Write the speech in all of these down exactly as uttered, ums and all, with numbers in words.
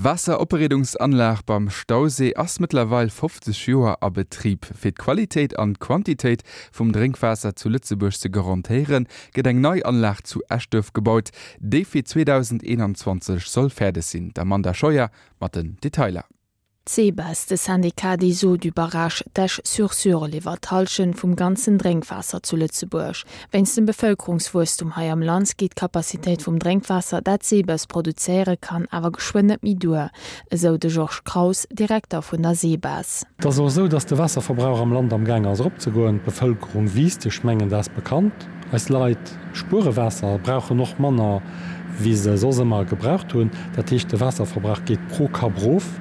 D'Waasseropbereedungsanlag beim Stausee ass mëttlerweil fofzeg Joer a Betrib. Fir d'Qualitéit an d'Quantitéit vum Drénkwaasser zu Lëtzebuerg ze garantéieren, gëtt eng nei Anlag zu Eschduerf gebaut, déi fir zweedausendeenanzwanzeg soll fäerdeg sinn. D'Amanda Scheuer mat den Detailer. D'Sebes, de Syndicat des eaux du barrage d'Esch-sur-Sûre, liwwert d'Hallschent vum ganzen Drénkwaasser zu Lëtzebuerg. Wéinst dem Bevëlkerungswuesstum hei am Land geet d'Capacitéit vum Drénkwaasser, dat d'Sebes produzéiere kann, awer geschwënn net méi duer, esou de Georges Kraus, Direkter vun der Sebes. Et ass och esou, dass de Waasserverbrauch am Land amgaang ass eropzegoen. D'Bevëlkerung wiisst, ech mengen, dat ass bekannt. Eis Leit spuere Waasser, brauchen och manner, wéi se soss ëmmer gebraucht hunn. Dat heescht, de Waasserverbrauch geet pro Kapp erof.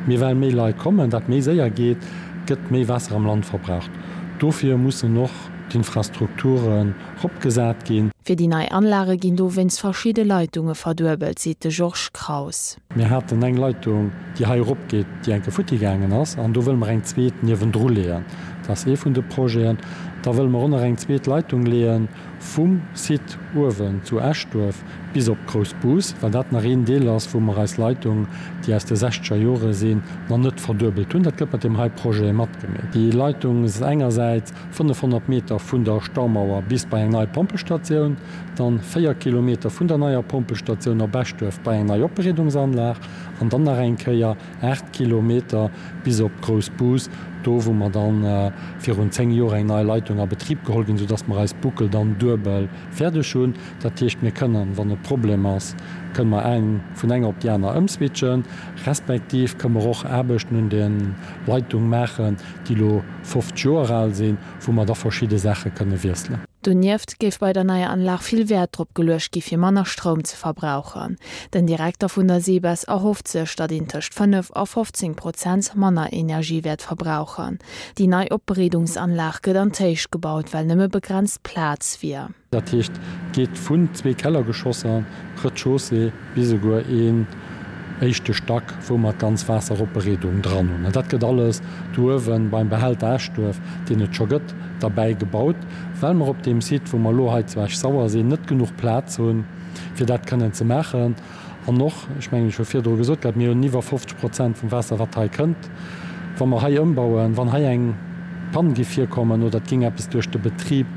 Mee well méi Leit kommen, dat méi séier geet, gëtt méi Waasser am Land verbraucht. Dofir mussen och d'Infrastrukturen eropgesat ginn. Fir déi nei Anlage ginn dowéinst verschidde Leitunge verduebelt, seet de Georges Kraus. Mir haten eng Leitung, déi hei eropgeet, déi enke futti gaangen ass, an do wëlle mer eng zweet niewendru leeën. Dat ass ee vun de Projeten. Da wëlle mer och nach eng zweet Leitung leeën vum Site uewen zu Eschduerf bis op Groussbus, well dat nach een Deel ass, wou mer eis Leitung, déi aus de sechzeger Jore sinn, nach net verduebelt hunn. Dat gëtt mat deem hei Projet matgemeet. Déi Leitung ass engersäits fënnefhonnert Meter vun der Staumauer bis bei eng nei Pompelstatioun, dann véier Kilometer vun der neier Pompelstatioun op Eschduerf bei eng nei Opbereedungsanlag an dann nach eng Kéier aacht Kilometer bis op Groussbus, do wou mer dann virun zéng Joer eng nei Leitung a Betrib geholl ginn, soudass mer eis Boucle dann duebel fäerdeg hunn. Dat heescht, mir kënnen, wann e Problem ass, kënnen mer eng vun enger op déi aner ëmswitchen, respektiv kënnen mer och Aarbechten un de Leitung maachen, déi elo fofzeg Joer al sinn, wou mer da verschidde Saache kënne wiesselen. Donieft géif bei der neier Anlag vill Wäert drop geluecht gi fir manner Stroum ze verbrauchen. Den Direkter vun der SEBES erhofft sech, datt een tëscht fënnef a fofzéng Prozent manner Energie wäert verbrauchen. Déi nei Opbereedungsanlag gëtt an d'Héicht gebaut, well nëmme begrenzt Plaz wier. Dat heescht, et geet vun zwee Kellergeschosser, Rez-de-chaussée, bis esouguer een éischte Stack, wou mer d'ganz Waasseropbereedung dran hunn. An dat gëtt alles do uewe beim Behälter Eschduerf, deen et scho gëtt, derbäi gebaut, well mer op deem Site, wou mer elo hei zu Esch-Sauer sinn, net genuch Plaz hunn, fir dat kënnen ze maachen. An och, ech mengen, ech hu virdru gesot gehat, mir hunn iwwer fofzeg Prozent vum Waasser, wat hei kënnt, wa mer hei ëmbauen, wann hei eng Pann géif virkommen oder et géing eppes duerch de Betrib,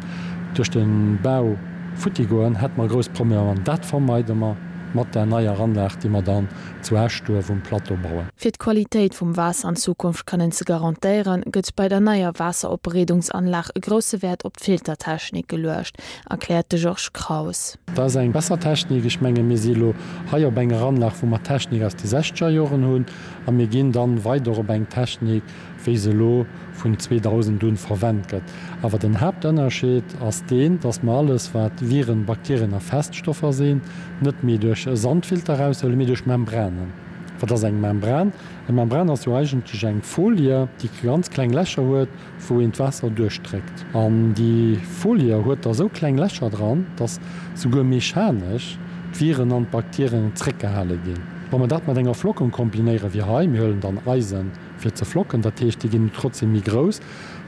duerch de Bau futti goen, hätte mer grouss Problemer. An dat vermeide mer mat där neier Anlag, déi mer dann zu Eschduerf um Plateau bauen. Fir d'Qualitéit vum Waasser an Zukunft kënnen ze garantéieren, gëtt bei der neier Waasseropbereedungsanlag e grousse Wäert op d'Filtertechnik geluecht, erkläert de Georges Kraus. Dat ass eng besser Technik. Ech menge mir si elo hei op enger Anlag, wou mer Technik aus de sechzeger Joren hunn, a mir ginn dann weider op eng Technik, wéi se elo vun zweedausend un verwennt gëtt. Awer den Haaptënnerscheed ass deen, dass mer alles, wat Viren, Bakterien a Feststoffer sinn, net méi duerch e Sandfilter eraushuelen, mee duerch Membranen. Wat ass eng Membran? Eng Membran ass jo eigentlech eng Folie, déi ganz kleng Lächer huet, wou een d'Waasser duerchdréckt. An déi Folie huet da sou kleng Lächer dran, dass souguer mechanesch d'Viren an d'Bakterien zréckgehale ginn. Wa mer dat mat enger Flockung kombinéieren, wéi hei, mir huelen dann Eisen, fir ze flocken, dat heescht déi ginn trotzdem méi grouss,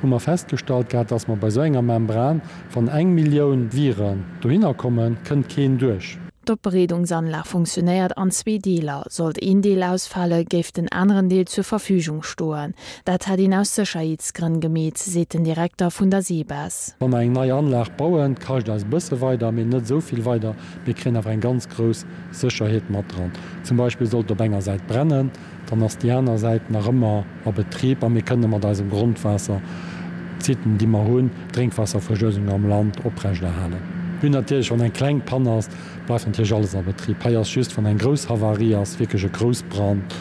hu mer festgestallt gehat, dass mer bei esou enger Membran, wann eng Millioun Viren dohinner kommen, kënnt keen duerch. D'Opbereedungsanlag funktionéiert an zwee Deeler. Sollt een Deel ausfale géif den aneren Deel zur Verfügung stoen. Dat hätt een aus Sécherheetsgrënn gemeet, seet den Direkter vun der SEBES. Wa mer eng nei Anlag bauen, kascht eis e bësse weider, mee net esou vill weider. Mir kréien awer eng ganz grouss Sécherheet mat dran. Zum Beispill sollt op enger Säit brennen, Dann ass déi aner Säit nach ëmmer a Betrib a mir kënne mat eisem Grondwaasser d'Siten, déi mer hunn, d'Drénkwaasserversuergung am Land oprechterhalen. Mir hunn natierlech, wann eng kleng Pann ass, bleift natierlech alles a Betrib. Hei ass just, wann eng grouss Havarie ass, wierklech e Groussbrand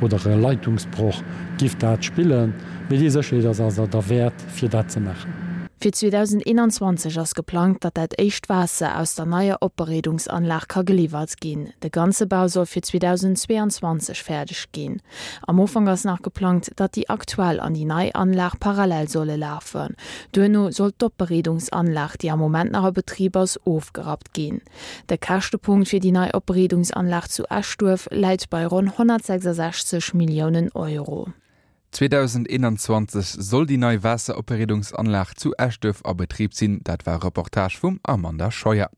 oder e Leitungsbroch, giff dat spillen. Mee déi Sécherheet ass awer derwäert, fir dat ze maachen. Fir zweedausendeenanzwanzeg ass geplangt, datt dat éischt Waasser aus der neier Opbereedungsanlag ka geliwwert ginn. De ganze Bau soll fir zweedausendzweeanzwanzeg fäerdeg ginn. Am Ufank ass nach geplangt, datt déi aktuell an déi nei Anlag parallel solle lafen. Duerno soll d'Opbereedungsanlag, déi am Moment nach a Betrib ass, ofgerappt ginn. De Käschtepunkt fir déi nei Opbereedungsanlag zu Eschduerf läit bei ronn honnertsechsasechzeg Milliounen Euro. zweedausendeenanzwanzeg soll déi nei Waasseropbereedungsanlag zu Eschduerf a Betrib sinn. Dat war e Reportage vum Amanda Scheuer.